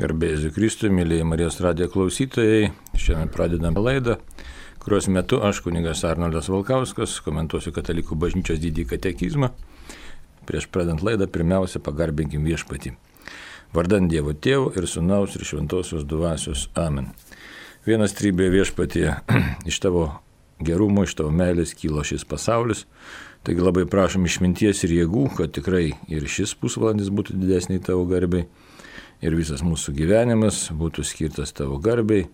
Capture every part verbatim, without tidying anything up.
Garbė Jėzui Kristui, mėlyje Marijos radijo klausytojai, šiandien pradedame laidą, kurios metu aš, kunigas Arnoldas Valkauskas, komentuosiu Katalikų bažnyčios didįjį katekizmą. Prieš pradedant laidą, pirmiausia, pagarbinkim Viešpatį. Vardant Dievo Tėvo ir Sūnaus ir Šventosios Dvasios. Amen. Vienas trybė Viešpatie, iš tavo gerumo, iš tavo meilės kylo šis pasaulis. Taigi labai prašom išminties ir jėgų, kad tikrai ir šis pusvalandis būtų didesniai tavo garbei. Ir visas mūsų gyvenimas būtų skirtas tavo garbei,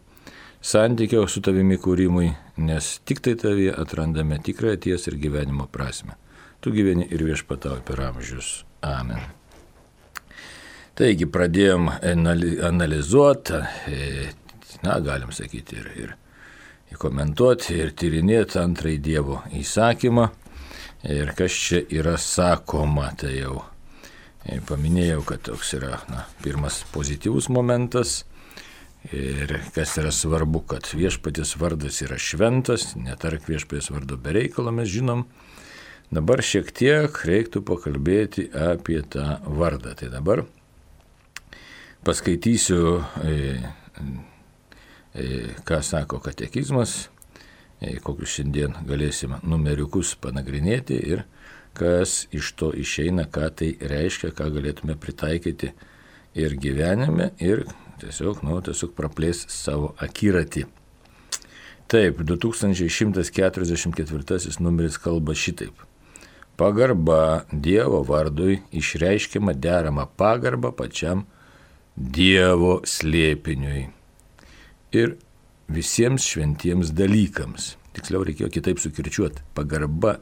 santykio su tavimi kūrimui, nes tik tai tavyje atrandame tikrąją tiesą ir gyvenimo prasme. Tu gyveni ir viešpatauji per amžius. Amen. Taigi pradėjom analizuoti, na, galim sakyti, ir, ir komentuoti, ir tyrinėti antrąjį Dievo įsakymą. Ir kas čia yra sakoma, tai jau paminėjau, kad toks yra na, pirmas pozityvus momentas ir kas yra svarbu, kad viešpaties vardas yra šventas, netark viešpaties vardo be reikalo, mes žinom. Dabar šiek tiek reiktų pakalbėti apie tą vardą. Tai dabar paskaitysiu, e, e, ką sako katekizmas, e, kokius šiandien galėsime numeriukus panagrinėti ir kas iš to išeina, ką tai reiškia, ką galėtume pritaikyti ir gyvenime, ir tiesiog, nu, tiesiog praplės savo akiratį. Taip, du tūkstančiai šimtas keturiasdešimt ketvirtasis numeris kalba šitaip. Pagarba Dievo vardui išreiškiama derama pagarba pačiam Dievo slėpiniui ir visiems šventiems dalykams. Tiksliau reikėjo kitaip sukirčiuoti. Pagarba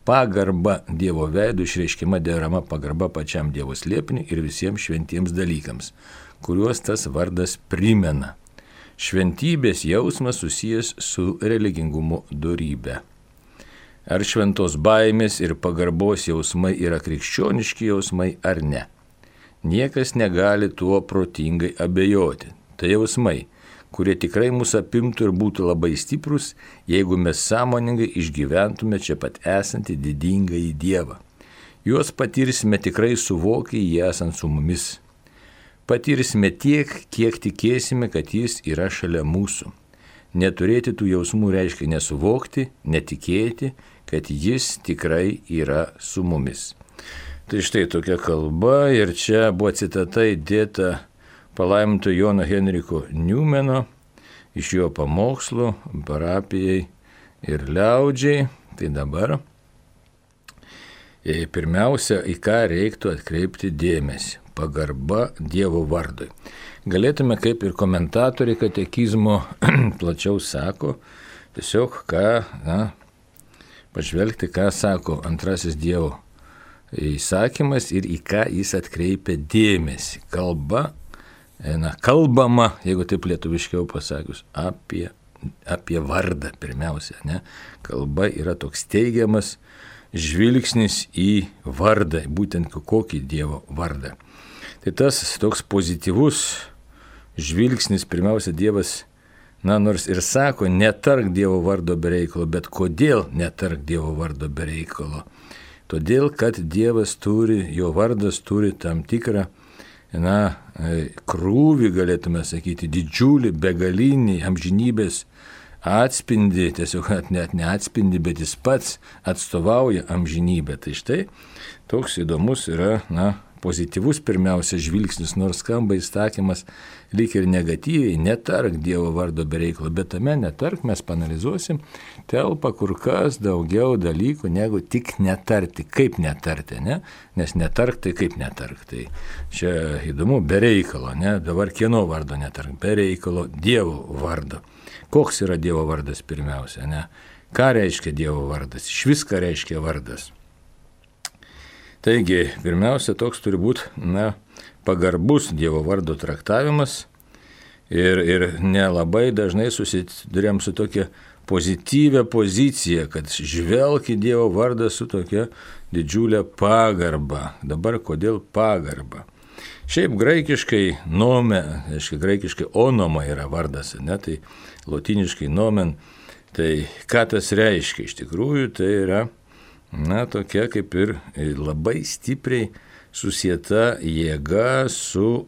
Pagarba Dievo veidų išreiškiama derama pagarba pačiam Dievo slėpiniui ir visiems šventiems dalykams, kuriuos tas vardas primena. Šventybės jausmas susijęs su religingumo dorybe. Ar šventos baimės ir pagarbos jausmai yra krikščioniški jausmai ar ne? Niekas negali tuo protingai abejoti. Tai jausmai, kurie tikrai mūsų apimtų ir būtų labai stiprus, jeigu mes sąmoningai išgyventume čia pat esantį didingąjį Dievą. Juos patirsime tikrai suvokę jį esant su mumis. Patirsime tiek, kiek tikėsime, kad jis yra šalia mūsų. Neturėti tų jausmų reiškia nesuvokti, netikėti, kad jis tikrai yra su mumis. Tai štai tokia kalba ir čia buvo citata įdėta palaiminto Jono Henriko Niumeno iš jo pamokslų parapijai ir liaudžiai. Tai dabar pirmiausia, į ką reiktų atkreipti dėmesį. Pagarba Dievo vardui. Galėtume, kaip ir komentatoriai katekizmo plačiau sako, tiesiog ką, na, pažvelgti, ką sako antrasis Dievo įsakymas ir į ką jis atkreipia dėmesį. Kalba Na, kalbama, jeigu taip lietuviškiau pasakius, apie, apie vardą pirmiausia. Ne? Kalba yra toks teigiamas žvilgsnis į vardą, būtent kokį Dievo vardą. Tai tas toks pozityvus žvilgsnis, pirmiausia, Dievas, na, nors ir sako, netark Dievo vardo be reikalo, bet kodėl netark Dievo vardo be reikalo? Todėl, kad Dievas turi, jo vardas turi tam tikrą na, krūvį, galėtume sakyti, didžiulį, begalinį amžinybės atspindį, tiesiog net neatspindį, bet jis pats atstovauja amžinybę. Tai štai toks įdomus yra, na, pozityvus pirmiausia žvilgsnis, nors skamba įsakymas lyg ir negatyviai, netark Dievo vardo be reikalo, bet tame netark, mes panalizuosim, telpa kur kas daugiau dalykų, negu tik netarti, kaip netarti, ne? Nes netark tai kaip netark, tai čia įdomu, be reikalo, ne? Dabar kieno vardo netark, be reikalo, Dievo vardo. Koks yra Dievo vardas pirmiausia, ne? Ką reiškia Dievo vardas? Iš viską reiškia vardas. Taigi, pirmiausia, toks turi būti, na, pagarbus Dievo vardo traktavimas ir, ir nelabai dažnai susidurėm su tokia pozityvia pozicija, kad žvelk į Dievo vardą su tokia didžiulė pagarba. Dabar kodėl pagarba? Šiaip graikiškai nome, aiškiai graikiškai onoma yra vardas, ne, tai lotiniškai nomen, tai ką tas reiškia? Iš tikrųjų tai yra, na, tokia kaip ir labai stipriai susieta jėga su,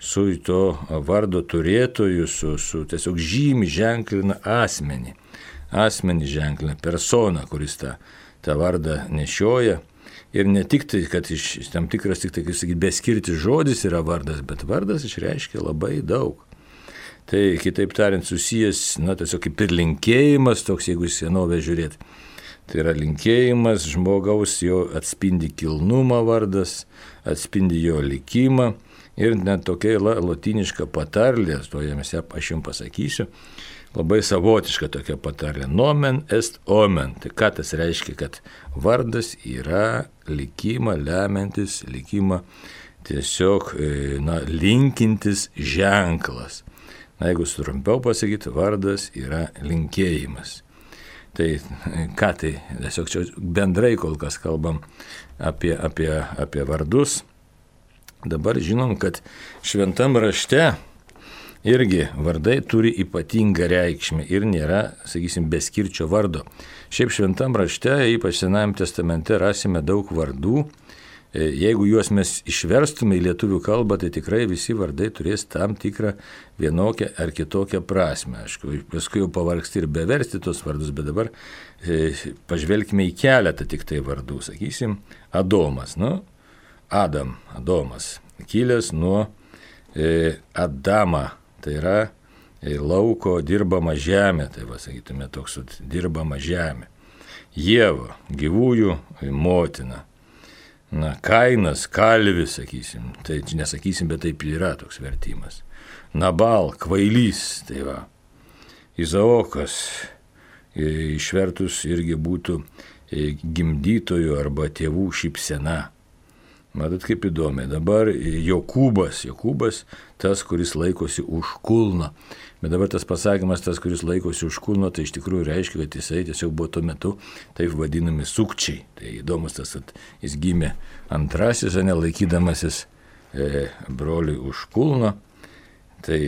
su to vardo turėtoju, su, su tiesiog žymi ženklina asmenį. Asmenį ženklina personą, kuris tą, tą vardą nešioja. Ir ne tik tai, kad iš tam tikras, tik tai, kaip sakyti, beskirtis žodis yra vardas, bet vardas išreiškia labai daug. Tai kitaip tariant susijęs, na, tiesiog kaip ir linkėjimas, toks, jeigu į senovę žiūrėt. Tai yra linkėjimas žmogaus, jo atspindi kilnumą vardas, atspindi jo likimą. Ir net tokia lotyniška patarlė, to jiems aš jums pasakysiu, labai savotiška tokia patarlė. Nomen est omen. Tai ką tas reiškia, kad vardas yra likimą lemiantis, likimą tiesiog, na, linkintis ženklas. Na, jeigu trumpiau pasakyti, vardas yra linkėjimas. Tai ką tai, tiesiog čia bendrai kol kas kalbam apie, apie, apie vardus. Dabar žinom, kad šventam rašte irgi vardai turi ypatingą reikšmę ir nėra, sakysim, beskirčio vardo. Šiaip šventam rašte, ypač Senajame testamente, rasime daug vardų. Jeigu juos mes išverstume į lietuvių kalbą, tai tikrai visi vardai turės tam tikrą vienokią ar kitokią prasme. Aišku, paskui jau pavargsti ir beversti tos vardus, bet dabar e, pažvelkime į keletą tik tai vardų. Sakysim, Adomas, nu, Adam, Adomas, kilęs nuo e, Adama, tai yra e, lauko dirbama žemė, tai va, sakytume, toks dirbama žemė. Ieva, gyvųjų motina. Na, Kainas, kalvis, sakysim, tai nesakysim, bet taip yra toks vertimas. Nabal, kvailys, tai va. Izaokas, e, išvertus irgi būtų e, gimdytojų arba tėvų šypsena. Matot, kaip įdomi. Dabar Jokūbas, Jokūbas, tas, kuris laikosi už kulno. Bet dabar tas pasakymas, tas, kuris laikosi už kulno, tai iš tikrųjų reiškia, kad jisai tiesiog buvo tuo metu taip vadinami sukčiai. Tai įdomus tas, kad jis gimė antrasis, o ne laikydamasis e, broliui už kulno. Tai,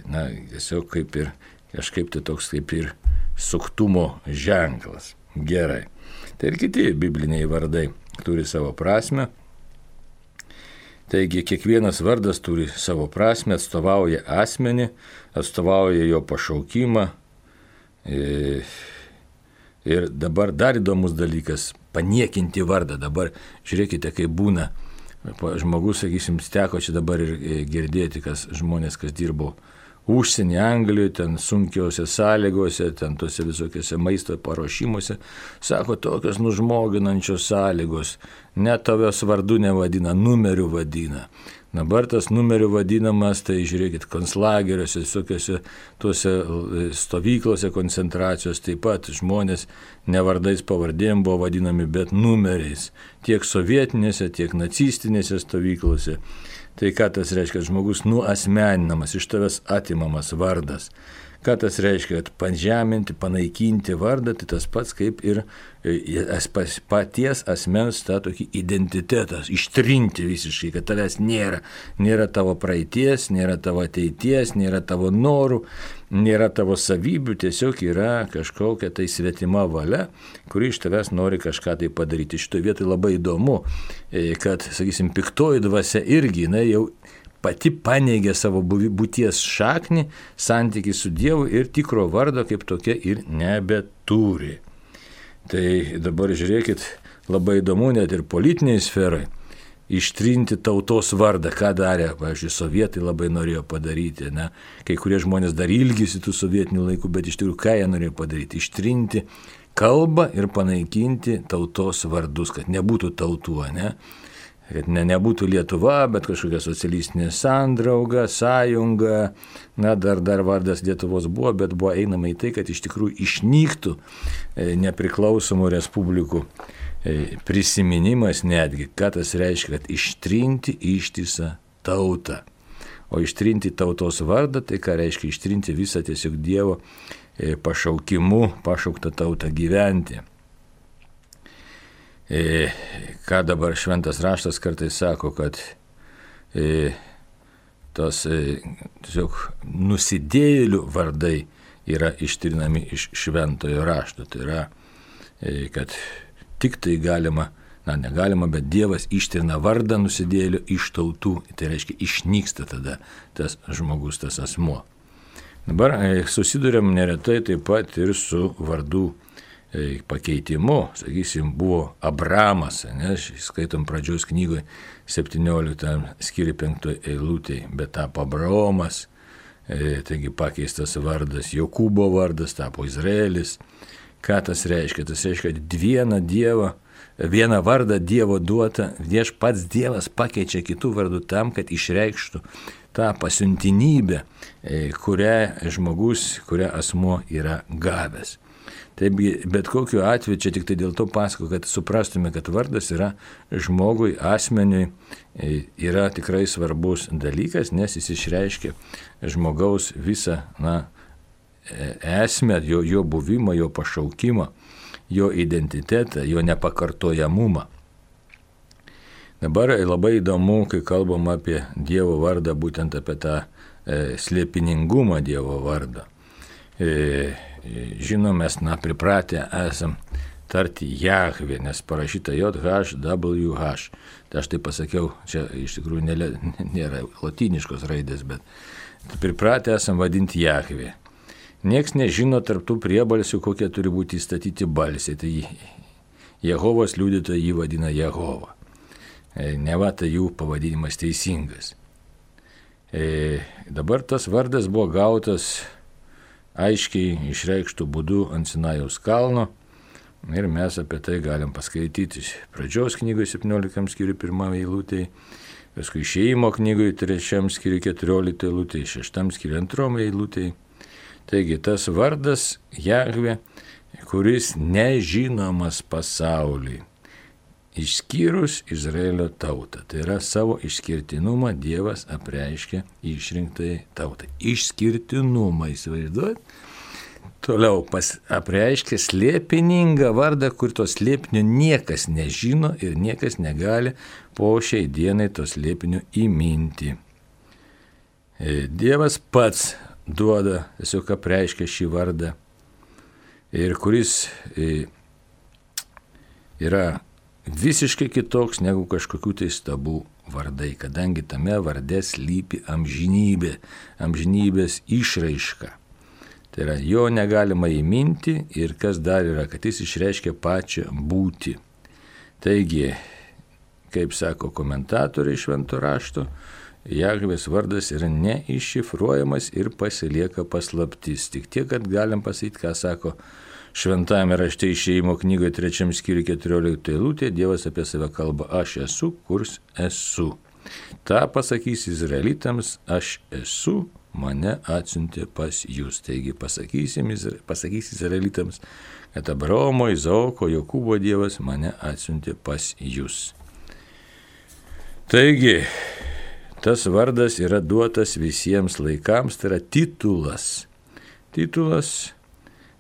na, tiesiog kaip ir, kažkaip tai toks kaip ir suktumo ženklas. Gerai. Tai ir kiti bibliniai vardai turi savo prasme. Taigi kiekvienas vardas turi savo prasme, atstovauja asmenį, atstovauja jo pašaukimą. Ir dabar dar įdomus dalykas – paniekinti vardą. Dabar žiūrėkite, kaip būna. Žmogus, sakysim, teko čia dabar ir girdėti, kas žmonės, kas dirbo užsienį, Anglijoje, ten sunkiausiose sąlygose, ten tose visokiose maisto paruošimuose, sako, tokios nužmoginančios sąlygos, net tavęs vardu nevadina, numeriu vadina. Dabar tas numeriu vadinamas, tai žiūrėkit, konclageriuose, visokiose tuose stovyklose koncentracijos, taip pat žmonės ne vardais pavardėm buvo vadinami, bet numeriais, tiek sovietinėse, tiek nacistinėse stovyklose. Tai ką tas reiškia, kad žmogus nuasmeninamas, iš tavęs atimamas vardas. Ką tas reiškia, kad pažeminti, panaikinti vardą, tai tas pats kaip ir paties asmens tą tokį identitetą, ištrinti visiškai, kad tavęs nėra. Nėra tavo praeities, nėra tavo ateities, nėra tavo norų, nėra tavo savybių, tiesiog yra kažkokia tai svetima valia, kuri iš tavęs nori kažką tai padaryti. Šitoje vietoje labai įdomu, kad, sakysim, piktoji dvasia irgi, na, jau pati paneigė savo būties šaknį, santykį su Dievu ir tikro vardo kaip tokia ir nebeturi. Tai dabar žiūrėkit, labai įdomu net ir politiniai sferai ištrinti tautos vardą, ką darė, pavyzdžiui, sovietai labai norėjo padaryti, ne? Kai kurie žmonės dar ilgisi tų sovietinių laikų, bet iš tikrųjų ką jie norėjo padaryti? Ištrinti kalbą ir panaikinti tautos vardus, kad nebūtų tautų, ne? Kad ne, nebūtų Lietuva, bet kažkokia socialistinė sandrauga, sąjunga, na, dar, dar vardas Lietuvos buvo, bet buvo einama į tai, kad iš tikrųjų išnyktų e, nepriklausomų respublikų e, prisiminimas netgi, ką tas reiškia, kad ištrinti ištisą tautą. O ištrinti tautos vardą, tai ką reiškia ištrinti visą tiesiog Dievo e, pašaukimu, pašauktą tautą gyventi. E, ką dabar šventas raštas kartais sako, kad e, tos e, tiesiog nusidėjėlių vardai yra ištrinami iš šventojo rašto. Tai yra, e, kad tik tai galima na negalima, bet Dievas ištrina vardą nusidėjėlio iš tautų, tai reiškia išnyksta tada tas žmogus, tas asmuo. Dabar susidurėm neretai taip pat ir su vardų pakeitimu, sakysim, buvo Abramas, ne, skaitom pradžios knygoje septynioliktam skyriui penktoj eilutėje, bet tapo Abraomas, e, taigi pakeistas vardas, Jokūbo vardas tapo Izraelis. Ką tas reiškia? Tas reiškia, kad vieną dievą, vieną vardą Dievo duotą, vieš pats Dievas pakeičia kitų vardų tam, kad išreikštų tą pasiuntinybę, e, kurią žmogus, kurią asmuo yra gavęs. Taip, bet kokiu atveju, čia tik tai dėl to pasako, kad suprastume, kad vardas yra žmogui, asmeniui, yra tikrai svarbus dalykas, nes jis išreiškia žmogaus visą, na, esmę, jo, jo buvimą, jo pašaukimą, jo identitetą, jo nepakartojamumą. Dabar labai įdomu, kai kalbam apie Dievo vardą, būtent apie tą e, slėpiningumą Dievo vardą. E, Žinom, mes, na, pripratę esam tarti Jahvė, nes parašyta J H W H. Tai aš tai pasakiau, čia iš tikrųjų nėra, nėra lotyniškos raidės, bet pripratę esam vadinti Jahvė. Niekas nežino tarptų priebalsių, kokie turi būti įstatyti balsiai. Tai Jehovos liudytojai jį vadina Jehova. Neva tai jų pavadinimas teisingas. E, dabar tas vardas buvo gautas aiškiai išreikštų būdų ant Sinajaus kalno ir mes apie tai galim paskaityti pradžios knygoje septynioliktam skyriui pirmam eilutėje, paskui Išėjimo knygoje trečiam skyriui keturioliktam eilutėje, šeštam skyriui antrom eilutėje. Taigi tas vardas Jahvė, kuris nežinomas pasauliui, išskyrus Izraelio tautą. Tai yra savo išskirtinumą Dievas apreiškia išrinktai tautai. Išskirtinumą, įsivaizduot. Toliau pas, apreiškia slėpiningą vardą, kur to slėpinio niekas nežino ir niekas negali po šiai dienai to slėpinio įminti. Dievas pats duoda, tiesiog apreiškia šį vardą, ir kuris yra visiškai kitoks negu kažkokių tai stabų vardai, kadangi tame varde slypi amžinybė, amžinybės išraiška. Tai yra, jo negalima įminti ir kas dar yra, kad jis išreiškia pačią būtį. Taigi, kaip sako komentatoriai švento rašto, Jahvės vardas yra neiššifruojamas ir pasilieka paslaptis. Tik tiek, kad galim pasakyti, ką sako Šventajame rašte Išėjimo knygoje trečiam skyriui keturioliktam eilutėje, Dievas apie save kalba, aš esu, kurs esu. Ta pasakys Izraelitams, aš esu, mane atsiuntė pas jūs. Taigi pasakysim, pasakys Izraelitams, kad Abraomo, Izaoko, Jokūbo Dievas mane atsiuntė pas jūs. Taigi, tas vardas yra duotas visiems laikams, tai yra titulas. Titulas,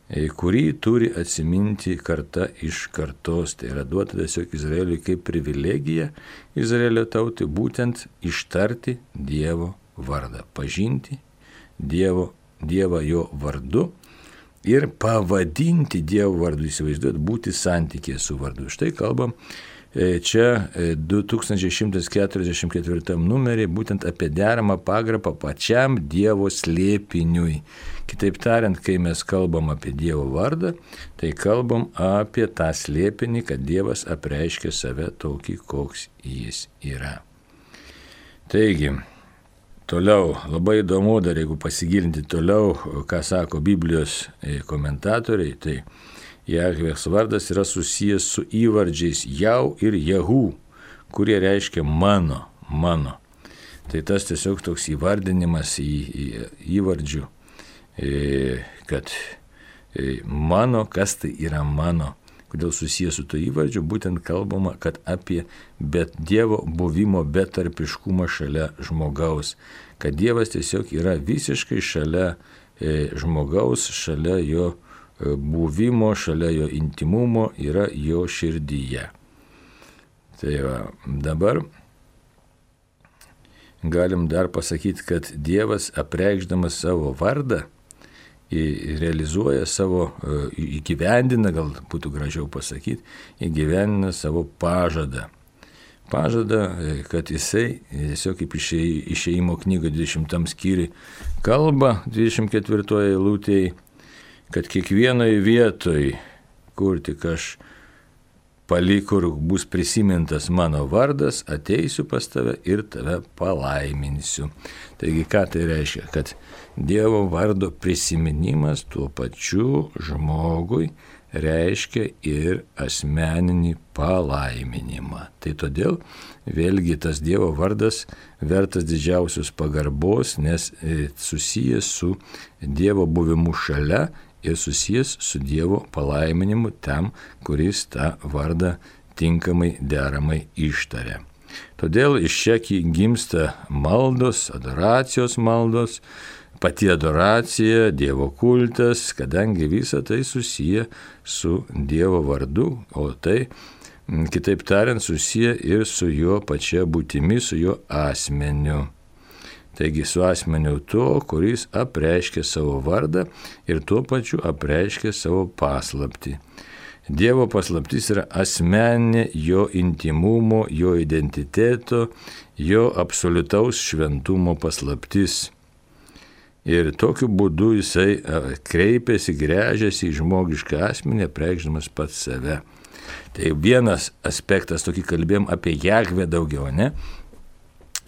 kurį turi atsiminti karta iš kartos. Tai yra duota tiesiog Izraeliui kaip privilegija Izraelio tautai būtent ištarti Dievo vardą, pažinti Dievo, Dievą jo vardu ir pavadinti Dievo vardu, įsivaizduoti, būti santykėje su vardu. Štai kalbam čia du tūkstančiai šimtas keturiasdešimt ketvirtam numerį būtent apie deramą pagarbą pačiam Dievo slėpiniui. Kitaip tariant, kai mes kalbam apie Dievo vardą, tai kalbam apie tą slėpinį, kad Dievas apreiškia save tokį, koks jis yra. Taigi, toliau, labai įdomu dar, jeigu pasigilinti toliau, ką sako Biblijos komentatoriai, tai Jahvės vardas yra susijęs su įvardžiais Jau ir Jehu, kurie reiškia mano, mano. Tai tas tiesiog toks įvardinimas į, į įvardžių, kad mano, kas tai yra mano. Kodėl susijęs su to įvardžiu, būtent kalbama, kad apie bet Dievo buvimo betarpiškumą šalia žmogaus. Kad Dievas tiesiog yra visiškai šalia žmogaus, šalia jo buvimo, šalia jo intimumo, yra jo širdyje. Tai va, dabar galim dar pasakyti, kad Dievas apreikšdamas savo vardą realizuoja savo, įgyvendina, gal būtų gražiau pasakyti, įgyvendina savo pažadą. Pažadą, kad jisai tiesiog kaip išėjimo knygo dvidešimtam skyriui kalba dvidešimt ketvirtoje eilutėje, kad kiekvienoje vietoje, kur tik aš palikur bus prisimintas mano vardas, ateisiu pas tave ir tave palaiminsiu. Taigi ką tai reiškia? Kad Dievo vardo prisiminimas tuo pačiu žmogui reiškia ir asmeninį palaiminimą. Tai todėl vėlgi tas Dievo vardas vertas didžiausios pagarbos, nes susijęs su Dievo buvimu šalia ir susijęs su Dievo palaiminimu tam, kuris tą vardą tinkamai deramai ištaria. Todėl iš čia gimsta maldos, adoracijos maldos, pati adoracija, Dievo kultas, kadangi visa tai susiję su Dievo vardu, o tai, kitaip tariant, susiję ir su jo pačia būtimi, su jo asmeniu. Taigi su asmeniu to, kuris apreiškia savo vardą ir tuo pačiu apreiškia savo paslaptį. Dievo paslaptis yra asmeninė jo intimumo, jo identiteto, jo absoliutaus šventumo paslaptis. Ir tokiu būdu jisai kreipiasi, gręžiasi į žmogišką asmenį, apreikšdamas pats save. Tai vienas aspektas, tokį kalbėjom apie Jahvę daugiau, ne?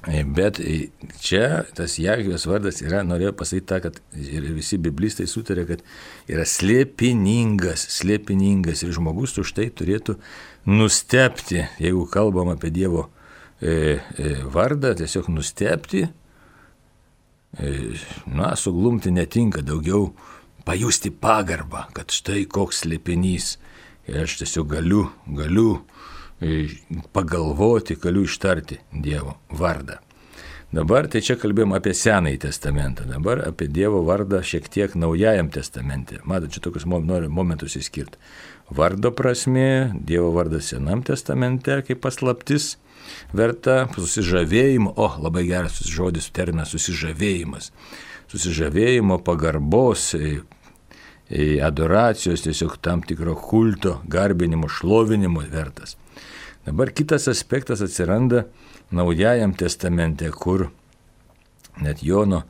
Bet čia tas Jahvės vardas yra, norėjau pasakyti tą, kad ir visi biblistai sutarė, kad yra slėpiningas, slėpiningas ir žmogus už tai turėtų nustebti, jeigu kalbam apie Dievo e, e, vardą, tiesiog nustebti, e, na, suglumti netinka, daugiau pajusti pagarbą, kad štai koks slėpinys. Ir aš tiesiog galiu, galiu pagalvoti, galiu ištarti Dievo vardą. Dabar tai čia kalbėjom apie Senąjį testamentą, dabar apie Dievo vardą šiek tiek Naujajam testamente. Matot, čia tokius noriu momentus įskirti. Vardo prasmė, Dievo vardas Senam testamente kaip paslaptis, verta susižavėjimo, o labai geras žodis, terminas susižavėjimas, susižavėjimo, pagarbos, adoracijos, tiesiog tam tikro kulto, garbinimo, šlovinimo vertas. Dabar kitas aspektas atsiranda Naujajam testamente, kur net Jono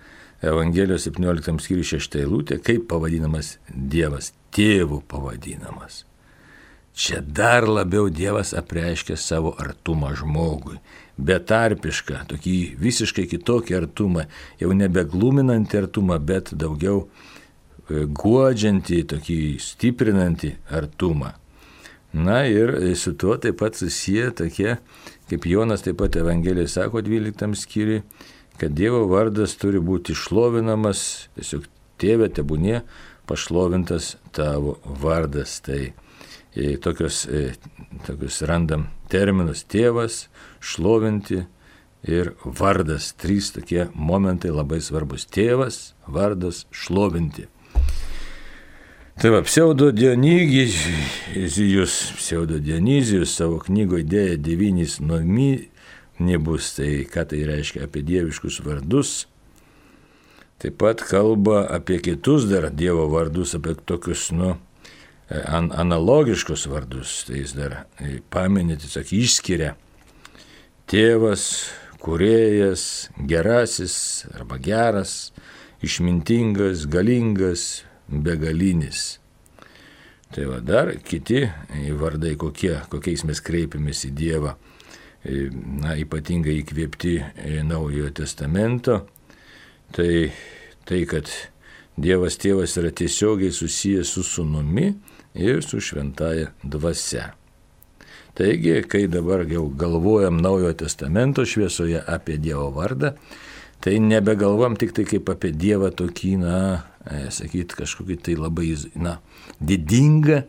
Evangelijos septynioliktam skyriui šešta eilutė, kaip pavadinamas Dievas, tėvu pavadinamas. Čia dar labiau Dievas apreiškia savo artumą žmogui, betarpišką, tokį visiškai kitokį artumą, jau nebegluminantį artumą, bet daugiau guodžiantį, tokį stiprinantį artumą. Na ir su tuo taip pat susiję tokie, kaip Jonas taip pat Evangelijai sako dvyliktam skyriui, kad Dievo vardas turi būti šlovinamas, tiesiog tėve tebūnie pašlovintas tavo vardas. Tai e, tokios, e, tokios randam terminus tėvas, šlovinti ir vardas. Trys tokie momentai labai svarbus. Tėvas, vardas, šlovinti. Tai va, pseudo Dionizijus, pseudo Dionizijus savo knygoje dėja devynis nominibus, tai ką tai reiškia apie dieviškus vardus. Taip pat kalba apie kitus dar Dievo vardus, apie tokius, nu, an, analogiškus vardus. Tai jis dar paminė, tiesiog išskiria tėvas, kūrėjas, gerasis arba geras, išmintingas, galingas, begalinis. Tai va dar kiti vardai, kokie, kokiais mes kreipiamės į Dievą, na, ypatingai įkvėpti Naujojo testamento, tai tai, kad Dievas tėvas yra tiesiogiai susijęs su sūnumi ir su šventaja dvasia. Taigi, kai dabar jau galvojam Naujojo testamento šviesoje apie Dievo vardą, tai nebegalvom tik tai kaip apie Dievą tokį, na, sakyti, kažkokį tai labai, na, didingą,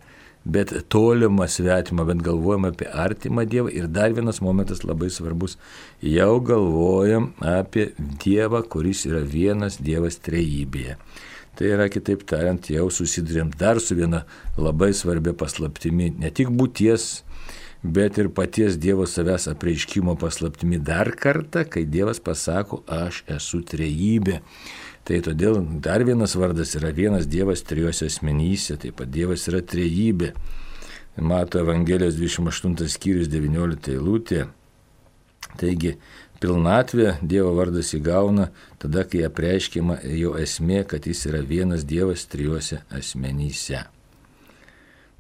bet tolimą svetimą, bet galvojam apie artimą Dievą. Ir dar vienas momentas labai svarbus, jau galvojam apie Dievą, kuris yra vienas Dievas trejybėje. Tai yra, kitaip tariant, jau susidurėm dar su viena labai svarbia paslaptimi, ne tik būties bet ir paties Dievo savęs apreiškimo paslaptimi dar kartą, kai Dievas pasako, aš esu trejybė. Tai todėl dar vienas vardas yra vienas Dievas trijose asmenyse, taip pat Dievas yra trejybė. Mato Evangelijos dvidešimt aštuntas skyrius devyniolikta eilutė. Taigi, pilnatvė Dievo vardas įgauna tada, kai apreiškiama jo esmė, kad jis yra vienas Dievas trijose asmenyse.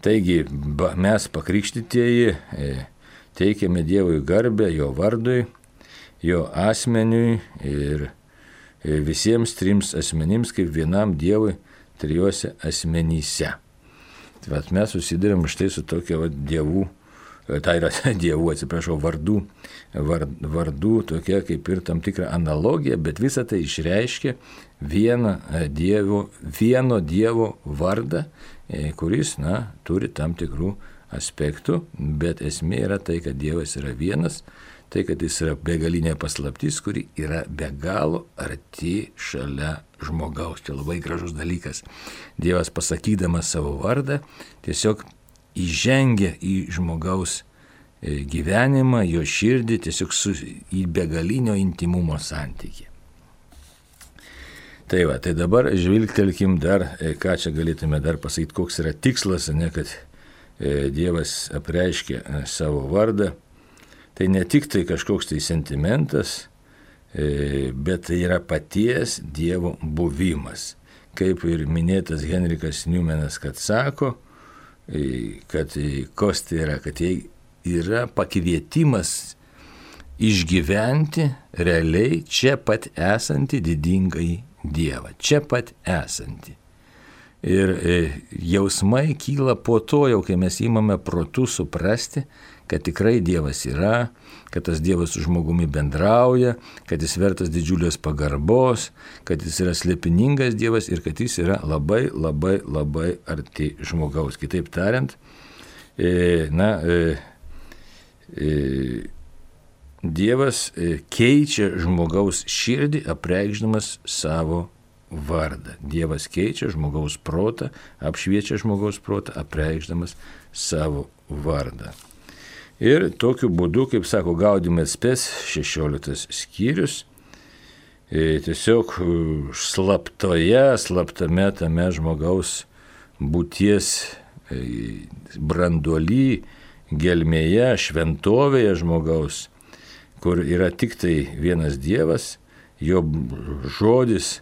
Taigi, mes pakrikštytieji teikiame Dievui garbę jo vardui, jo asmeniui ir visiems trims asmenims kaip vienam Dievui trijose asmenyse. Tai vat mes susidurėm štai su tokia vat dievų, tai yra dievų, atsiprašau, vardų, vard, vardų tokia kaip ir tam tikra analogija, bet visą tai išreiškia vieną dievo, vieno Dievo vardą, kuris, na, turi tam tikrų aspektų, bet esmė yra tai, kad Dievas yra vienas, tai, kad jis yra begalinė paslaptis, kuri yra be galo arti šalia žmogaus. Čia labai gražus dalykas. Dievas pasakydamas savo vardą tiesiog įžengia į žmogaus gyvenimą, jo širdį, tiesiog su, į begalinio intimumo santykį. Tai va, tai dabar žvilgtelkim dar, ką čia galėtume dar pasakyti, koks yra tikslas, ne, kad Dievas apreiškia savo vardą. Tai ne tik tai kažkoks tai sentimentas, bet tai yra paties Dievo buvimas. Kaip ir minėtas Henrikas Newmanas, kad sako, kad kas tai yra, kad tai yra pakvietimas išgyventi realiai čia pat esantį didingąjį Dievą, čia pat esantį. Ir jausmai kyla po to, jau kai mes įmame protu suprasti, kad tikrai Dievas yra, kad tas Dievas su žmogumi bendrauja, kad jis vertas didžiulės pagarbos, kad jis yra slėpiningas Dievas ir kad jis yra labai, labai, labai arti žmogaus. Kitaip tariant, na, Dievas keičia žmogaus širdį, apreikšdamas savo vardą. Dievas keičia žmogaus protą, apšviečia žmogaus protą, apreikšdamas savo vardą. Ir tokiu būdu, kaip sako Gaudium Spes šešioliktas skyrius, tiesiog slaptoje, slaptame tame žmogaus būties branduoly, gelmėje, šventovėje žmogaus, kur yra tik tai vienas Dievas, jo žodis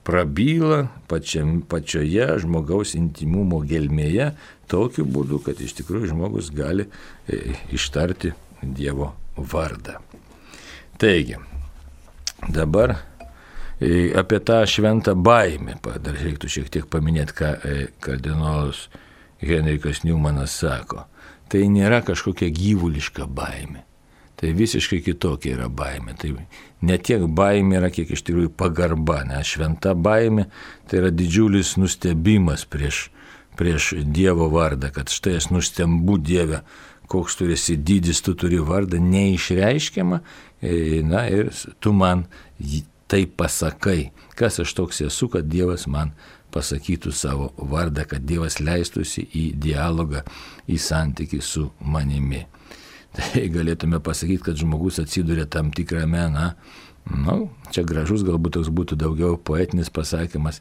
prabyla pačiam, pačioje žmogaus intimumo gelmėje, tokiu būdu, kad iš tikrųjų žmogus gali e, ištarti Dievo vardą. Taigi, dabar e, apie tą šventą baimę, dar reiktų šiek tiek paminėti, ką e, kardinolas Henrikas Newmanas sako. Tai nėra kažkokia gyvuliška baimė. Tai visiškai kitokia yra baimė. Tai ne tiek baimė yra, kiek iš tikrųjų pagarba. Nes šventa baimė tai yra didžiulis nustebimas prieš, prieš Dievo vardą, kad štai aš nustembu Dieve, koks tu esi didis, tu turi vardą neišreiškiamą, na ir tu man tai pasakai. Kas aš toks esu, kad Dievas man pasakytų savo vardą, kad Dievas leistųsi į dialogą, į santykį su manimi. Tai galėtume pasakyti, kad žmogus atsiduria tam tikrame, na, nu, čia gražus galbūt toks būtų daugiau poetinis pasakymas,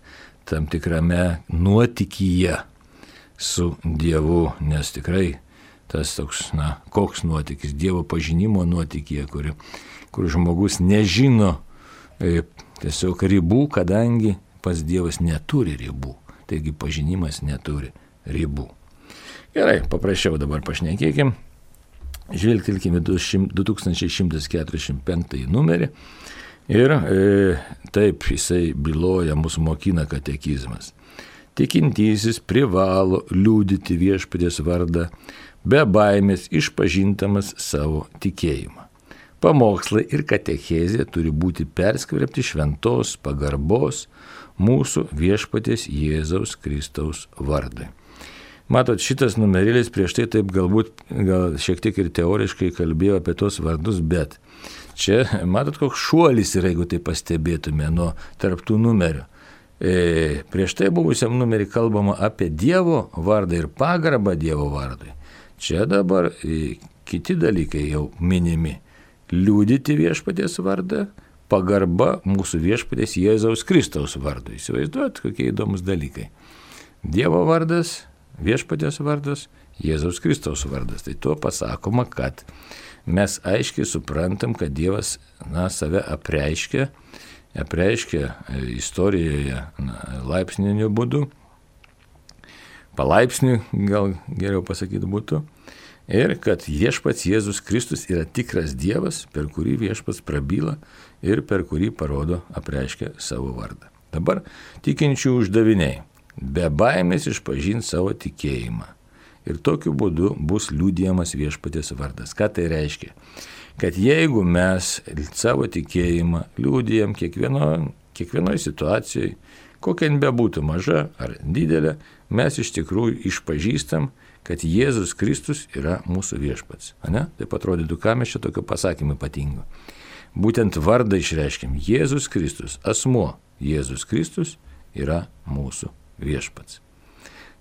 tam tikrame nuotykyje su Dievu, nes tikrai tas toks, na, koks nuotykis, Dievo pažinimo nuotykyje, kur, kur žmogus nežino e, tiesiog ribų, kadangi pats Dievas neturi ribų, taigi pažinimas neturi ribų. Gerai, paprasčiau dabar pašnekėkim. Žvelgtelkime du tūkstančiai šimtas keturiasdešimt penktąjį numerį ir e, taip jisai byloja, mus mokina katekizmas. Tikintysis privalo liudyti Viešpaties vardą, be baimės išpažintamas savo tikėjimą. Pamokslai ir katechezė turi būti perskverbti šventos pagarbos mūsų Viešpaties Jėzaus Kristaus vardui. Matot, šitas numerėlis prieš tai taip galbūt gal šiek tiek ir teoriškai kalbėjo apie tos vardus, bet čia, matot, koks šuolis yra, jeigu tai pastebėtume nuo tarptų numerių. E, prieš tai buvusiam numerį kalbama apie Dievo vardą ir pagarbą Dievo vardui. Čia dabar kiti dalykai jau minimi. Liudyti viešpaties vardą, pagarba mūsų viešpaties Jėzaus Kristaus vardui. Įsivaizduojat, kokie įdomus dalykai. Dievo vardas, viešpaties vardas, Jėzaus Kristaus vardas. Tai tuo pasakoma, kad mes aiškiai suprantam, kad Dievas na, save apreiškia, apreiškia istorijoje na, laipsniniu būdu, palaipsniui gal geriau pasakyti būtų, ir kad viešpats Jėzus Kristus yra tikras Dievas, per kurį viešpats prabyla ir per kurį parodo, apreiškia savo vardą. Dabar tikinčių uždaviniai. Be baimės išpažinti savo tikėjimą. Ir tokiu būdu bus liudijamas viešpaties vardas. Ką tai reiškia? Kad jeigu mes savo tikėjimą liudijam kiekvieno, kiekvienoje situacijoje, kokia jin bebūtų maža ar didelė, mes iš tikrųjų išpažįstam, kad Jėzus Kristus yra mūsų viešpats. Ne? Taip atrodytų, ką mes čia tokio pasakymą ypatingo. Būtent vardą išreiškim. Jėzus Kristus, asmuo Jėzus Kristus yra mūsų viešpats.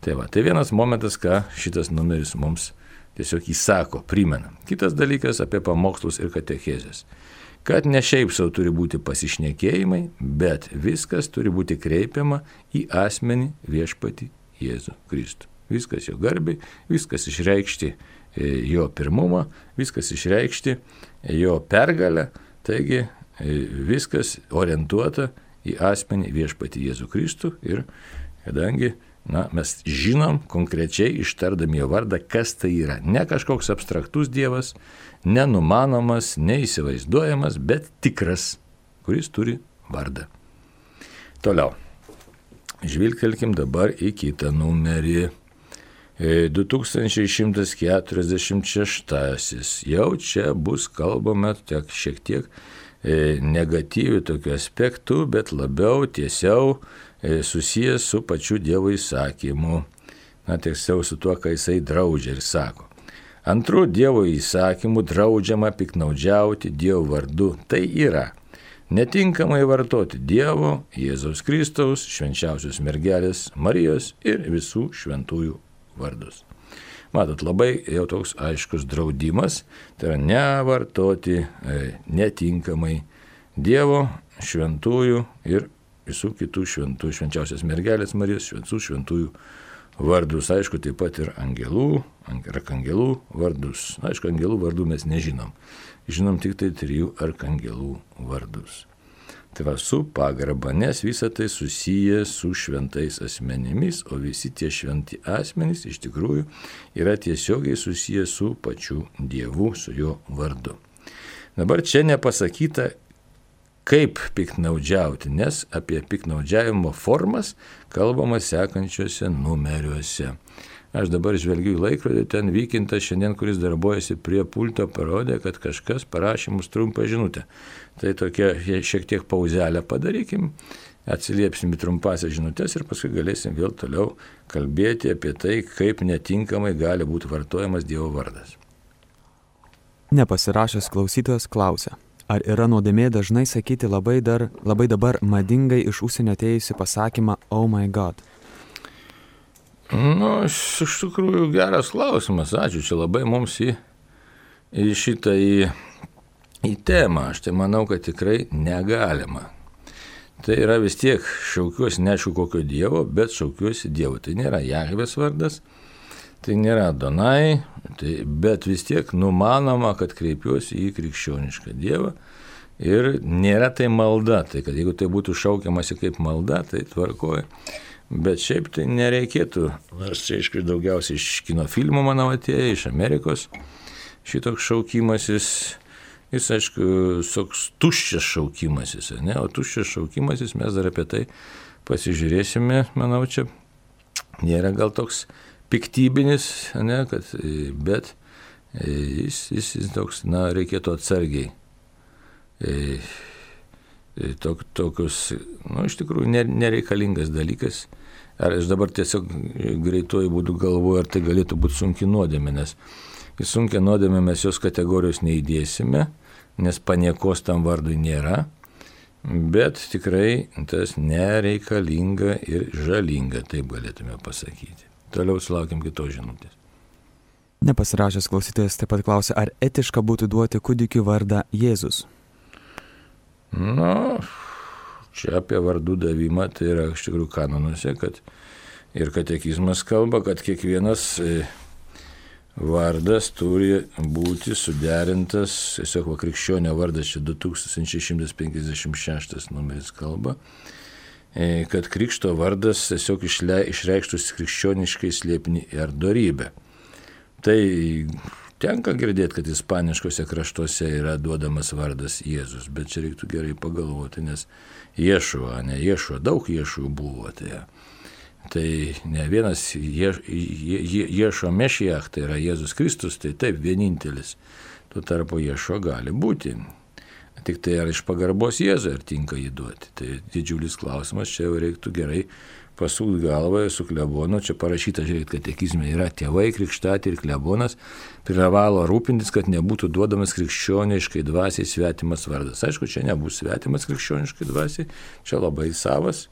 Tai va, tai vienas momentas, ką šitas numeris mums tiesiog įsako, primena. Kitas dalykas apie pamokslus ir katechezės. Kad ne šiaip savo turi būti pasišnekėjimai, bet viskas turi būti kreipiama į asmenį viešpatį Jėzų Kristų. Viskas jo garbiai, viskas išreikšti jo pirmumą, viskas išreikšti jo pergalę, taigi viskas orientuota į asmenį viešpatį Jėzų Kristų ir kadangi na, mes žinom konkrečiai ištardami jo vardą, kas tai yra. Ne kažkoks abstraktus Dievas, nenumanomas, neįsivaizduojamas, bet tikras, kuris turi vardą. Toliau. Žvilgtelkim dabar į kitą numerį. du tūkstančiai šimtas keturiasdešimt šeštasis. Jau čia bus kalbama tiek, šiek tiek negatyvių tokių aspektų, bet labiau tiesiau susijęs su pačiu Dievo įsakymu. Na, tiesiau su tuo, ką jisai draudžia ir sako. Antrų Dievo įsakymų draudžiama piknaudžiauti Dievo vardu. Tai yra netinkamai vartoti Dievo, Jėzaus Kristaus, švenčiausios mergelės Marijos ir visų šventųjų vardus. Matot, labai jau toks aiškus draudimas, tai yra nevartoti e, netinkamai Dievo, šventųjų ir visų kitų šventų, švenčiausios mergelės Marijos, visų šventųjų vardus. Aišku, taip pat ir angelų, arkangelų vardus. Aišku, angelų vardų mes nežinom. Žinom tik tai trijų arkangelų vardus. Tai va, su pagarba, nes visa tai susiję su šventais asmenimis, o visi tie šventi asmenys iš tikrųjų yra tiesiogiai susiję su pačiu Dievu, su jo vardu. Dabar čia nepasakyta, kaip piknaudžiauti, nes apie piknaudžiavimo formas kalbama sekančiuose numeriuose. Aš dabar žvelgiu į laikrodį, ten Vykintas šiandien, kuris darbuojasi prie pulto, parodė, kad kažkas parašė mums trumpą žinutę. Tai tokia šiek tiek pauzelę padarykim, atsiliepsim į trumpasias žinutės ir paskui galėsim vėl toliau kalbėti apie tai, kaip netinkamai gali būti vartojamas Dievo vardas. Nepasirašęs klausytojas klausia, ar yra nuodėmė dažnai sakyti labai, dar, labai dabar madingai iš užsienio atėjusi pasakymą Oh my God? Nu, iš tikrųjų geras klausimas, ačiū, čia labai mums į, į šitą į, į temą, aš tai manau, kad tikrai negalima. Tai yra vis tiek šaukiuosi neaišku kokio Dievo, bet šaukiuosi Dievo. Tai nėra Jahvės vardas, tai nėra Adonai, tai, bet vis tiek numanoma, kad kreipiuosi į krikščionišką Dievą ir nėra tai malda, tai kad jeigu tai būtų šaukiamasi kaip malda, tai tvarkoja. Bet šiaip tai nereikėtų, nors čia aišku daugiausiai iš kino filmų, manau, atėjo, iš Amerikos šitoks šaukimasis, jis aišku, toks tuščias šaukimasis, ne? O tuščias šaukimasis, mes dar apie tai pasižiūrėsime, manau, čia nėra gal toks piktybinis, ne? Kad, bet jis, jis, jis toks, na, reikėtų atsargiai. E, Tok, tokius, nu, iš tikrųjų nereikalingas dalykas. Ar aš dabar tiesiog greituoju būdu galvoju, ar tai galėtų būti sunki nuodėmė, nes į sunkią nuodėmę mes jos kategorijos neįdėsime, nes paniekos tam vardui nėra, bet tikrai tas nereikalinga ir žalinga, taip galėtume pasakyti. Toliau sulaukiam kitos žinutės. Nepasirašęs klausytojas taip pat klausia, ar etiška būtų duoti kūdikiui vardą Jėzus? Nu, čia apie vardų davimą, tai yra iš tikrųjų kanonuose, kad ir katekizmas kalba, kad kiekvienas vardas turi būti suderintas, tiesiog va, krikščionio vardas, čia du tūkstančiai šimtas penkiasdešimt šeštas numeris kalba, kad krikšto vardas tiesiog išreikštus krikščioniškai slėpinį ir dorybę. Tai tenka girdėti, kad ispaniškose kraštuose yra duodamas vardas Jėzus, bet čia reiktų gerai pagalvoti, nes Ješua, ne Ješua, daug Ješų buvo. Tai, tai ne vienas Je, Je, Je, Ješua Mešiach, tai yra Jėzus Kristus, tai taip vienintelis. Tuo tarpu Ješua gali būti. Tik tai ar iš pagarbos Jėzui, ar tinka jį duoti. Tai didžiulis klausimas, čia jau reiktų gerai pasūti galvą su klebonu, čia parašyta, žiūrėkit, katekizme yra tėvai, krikštatė ir klebonas, privalo rūpintis, kad nebūtų duodamas krikščioniškai dvasiai svetimas vardas. Aišku, čia nebus svetimas krikščioniškai dvasiai, čia labai savas,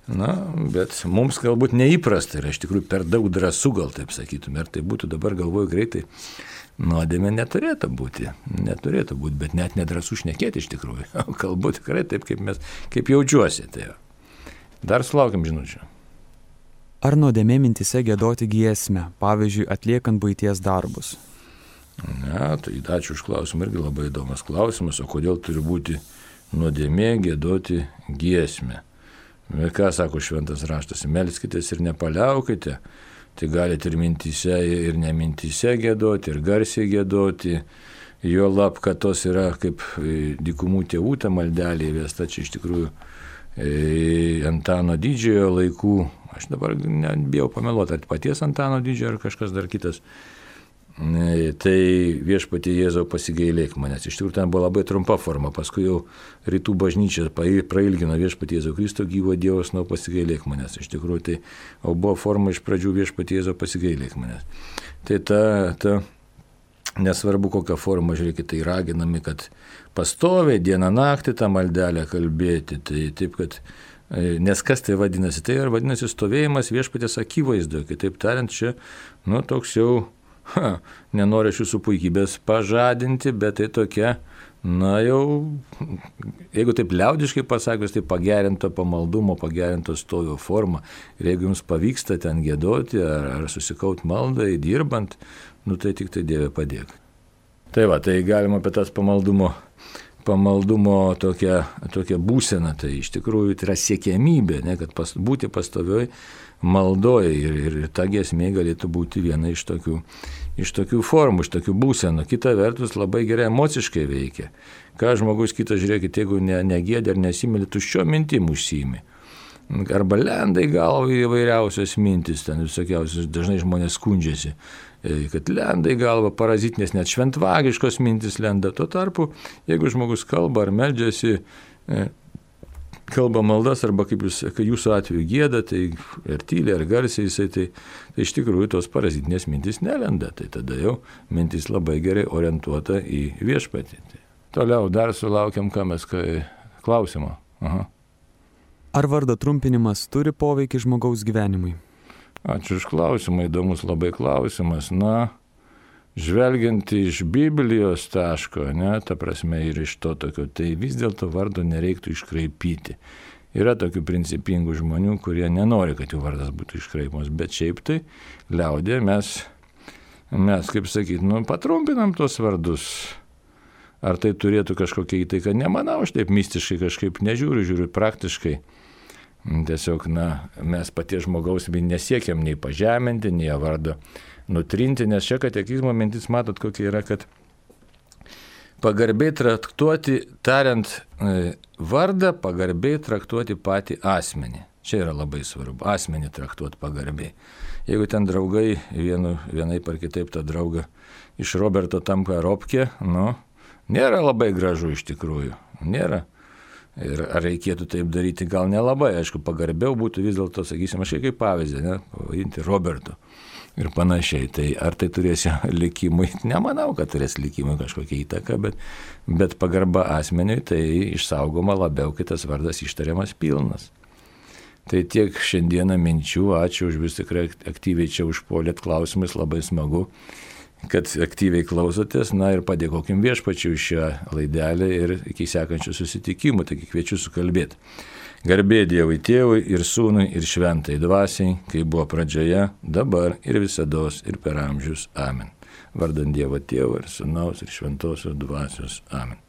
na, bet mums galbūt neįprasta yra, iš tikrųjų per daug drąsų gal taip sakytume, ir tai būtų dabar galvoju greitai, nuodėmė neturėtų būti, neturėtų būti, bet net nedrąsų šnekėti iš tikrųjų, kalbu tikrai taip, kaip, mes, kaip jaučiuosi. Tai dar sulaukiam žinučių. Ar nuodėmė mintise giedoti giesmę, pavyzdžiui, atliekant buities darbus? Ne, tai ačiū už klausimą, irgi labai įdomus klausimas, o kodėl turi būti nuodėmė giedoti giesmę? Ir ką sako šventas raštas, melskitės ir nepaliaukite, tai galite ir mintise, ir nemintise giedoti, ir garsiai giedoti, jo lab, kad tos yra kaip dykumų tėvų ta maldelė įvesta, čia iš tikrųjų Antano Didžiojo laikų, aš dabar nebijau pameluoti, ar paties Antano Didžiojo, ar kažkas dar kitas, tai viešpatie Jėzau pasigailėk manęs. Iš tikrųjų ten buvo labai trumpa forma, paskui jau rytų bažnyčia prailgino viešpatie Jėzau Kristų gyvo Dievas, nuo pasigailėk manęs. Iš tikrųjų tai buvo forma iš pradžių viešpatie Jėzau pasigailėk manęs. Tai ta, ta nesvarbu kokią formą, žiūrėkit, tai raginami, kad pastoviai dieną naktį tą maldelę kalbėti, tai taip, kad, nes kas tai vadinasi, tai ir vadinasi stovėjimas viešpaties akivaizdoje, kitaip tariant, čia, nu, toks jau, ha, nenoriu aš jūsų puikybės pažadinti, bet tai tokia, na jau, jeigu taip liaudiškai pasakius, tai pagerinto pamaldumo, pagerinto stovio forma, ir jeigu jums pavyksta ten giedoti, ar, ar susikaut maldai, dirbant, nu tai tik tai Dieve padėk. Tai va, tai galima apie tas pamaldumo, pamaldumo tokią, tokią būseną, tai iš tikrųjų tai yra siekiamybė, ne, kad pas, būti pastovioj maldoje ir, ir ta giesmė galėtų būti viena iš tokių, iš tokių formų, iš tokių būsenų. Kita vertus labai gerai emociškai veikia. Ką žmogus kitas, žiūrėkit, jeigu ne, negėdė ar nesimėlė, tuščio mintim užsiimi. Arba lenda į galvą įvairiausios mintis, ten visokiausios, dažnai žmonės skundžiasi, kad lenda į galvą parazitinės, net šventvagiškos mintis lenda. Tuo tarpu, jeigu žmogus kalba ar meldžiasi, kalba maldas, arba kaip jūs, kai jūsų atveju gieda, tai ar tyliai, ar garsiai jisai, tai, tai iš tikrųjų tos parazitinės mintis nelenda. Tai tada jau mintis labai gerai orientuota į viešpatį. Tai toliau dar sulaukiam, ką mes klausimo. Aha. Ar vardo trumpinimas turi poveikį žmogaus gyvenimui? Ačiū už klausimą, įdomus labai klausimas. Na, žvelgiant iš Biblijos taško, ne, ta prasme ir iš to tokio, tai vis dėlto vardo nereiktų iškraipyti. Yra tokių principingų žmonių, kurie nenori, kad jų vardas būtų iškraipomas, bet šiaip tai liaudė mes, mes kaip sakyti, nu, patrumpinam tos vardus. Ar tai turėtų kažkokia įtaika? Nemanau, aš taip mistiškai kažkaip nežiūriu, žiūriu praktiškai. Tiesiog, na, mes paties žmogaus nesiekiam nei pažeminti, nei vardą nutrinti, nes čia katekizmo mintis, matot, kokia yra, kad pagarbiai traktuoti, tariant vardą, pagarbiai traktuoti patį asmenį. Čia yra labai svarbu, asmenį traktuoti pagarbiai. Jeigu ten draugai, vienu, vienaip ar kitaip tą draugą iš Roberto tampa Robkė, nu, nėra labai gražu iš tikrųjų, nėra. Ir ar reikėtų taip daryti, gal nelabai, aišku, pagarbiau būtų vis dėlto, sakysim, aš kaip pavyzdį, ne, pavadinti Robertu ir panašiai. Tai ar tai turės likimui? Nemanau, kad turės likimui kažkokią įtaką, bet, bet pagarba asmeniui tai išsaugoma labiau, kai tas vardas ištariamas pilnas. Tai tiek šiandieną minčių, ačiū už vis tikrai aktyviai čia užpuolėt klausimais, labai smagu, kad aktyviai klausotės, na ir padėkokim Viešpačiui šią laidelę ir iki sekančių susitikimų, taigi kviečiu sukalbėti. Garbė Dievui Tėvui ir Sūnui ir Šventai Dvasiai, kaip buvo pradžioje, dabar ir visados ir per amžius. Amen. Vardant Dievo Tėvo ir Sūnaus ir Šventosios Dvasios. Amen.